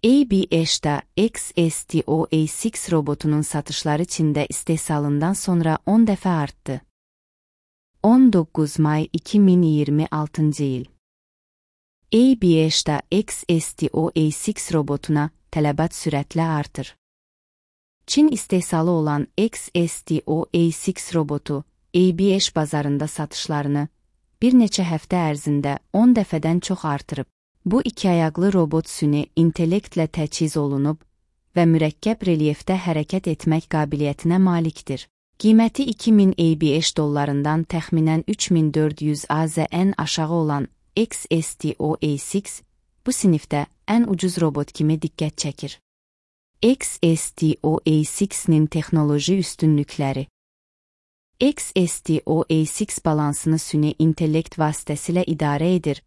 ABH-da XSTO-A6 robotunun satışları Çində istehsalından sonra 10 dəfə artdı. 19 may 2026 il. ABH-da XSTO-A6 robotuna tələbat sürətlə artır. Çin istehsalı olan XSTO-A6 robotu ABH bazarında satışlarını bir neçə həftə ərzində 10 dəfədən çox artırıb. Bu iki ayaqlı robot süni intellektlə təchiz olunub və mürəkkəb relyefdə hərəkət etmək qabiliyyətinə malikdir. Qiyməti 2000 ABH dollarından təxminən 3400 AZN aşağı olan XSTO-A6 bu sinifdə ən ucuz robot kimi diqqət çəkir. XSTO-A6-nin texnoloji üstünlükləri. XSTO-A6 balansını süni intellekt vasitəsilə idarə edir.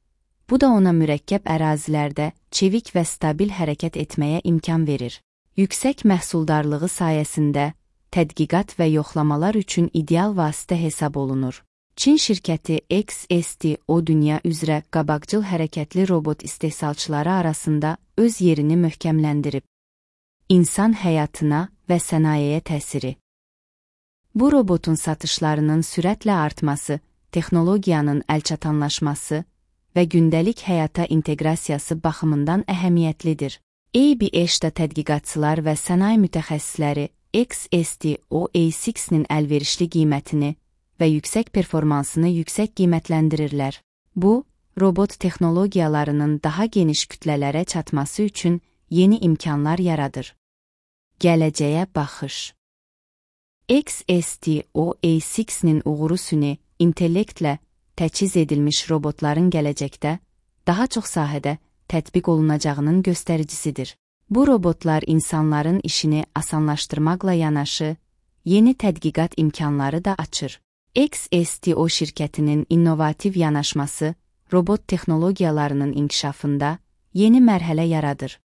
Bu da ona mürəkkəb ərazilərdə çevik və stabil hərəkət etməyə imkan verir. Yüksək məhsuldarlığı sayəsində tədqiqat və yoxlamalar üçün ideal vasitə hesab olunur. Çin şirkəti XSTO dünya üzrə qabaqcıl hərəkətli robot istehsalçıları arasında öz yerini möhkəmləndirib. İnsan həyatına və sənayeyə təsiri. Bu robotun satışlarının sürətlə artması, texnologiyanın əlçatanlaşması və gündəlik həyata inteqrasiyası baxımından əhəmiyyətlidir. ABH-da tədqiqatçılar və sənaye mütəxəssisləri XSTO-A6-nin əlverişli qiymətini və yüksək performansını yüksək qiymətləndirirlər. Bu, robot texnologiyalarının daha geniş kütlələrə çatması üçün yeni imkanlar yaradır. Gələcəyə baxış. XSTO-A6-nin uğuru süni intellektlə təchiz edilmiş robotların gələcəkdə daha çox sahədə tətbiq olunacağının göstəricisidir. Bu robotlar insanların işini asanlaşdırmaqla yanaşı, yeni tədqiqat imkanları da açır. XSTO şirkətinin innovativ yanaşması robot texnologiyalarının inkişafında yeni mərhələ yaradır.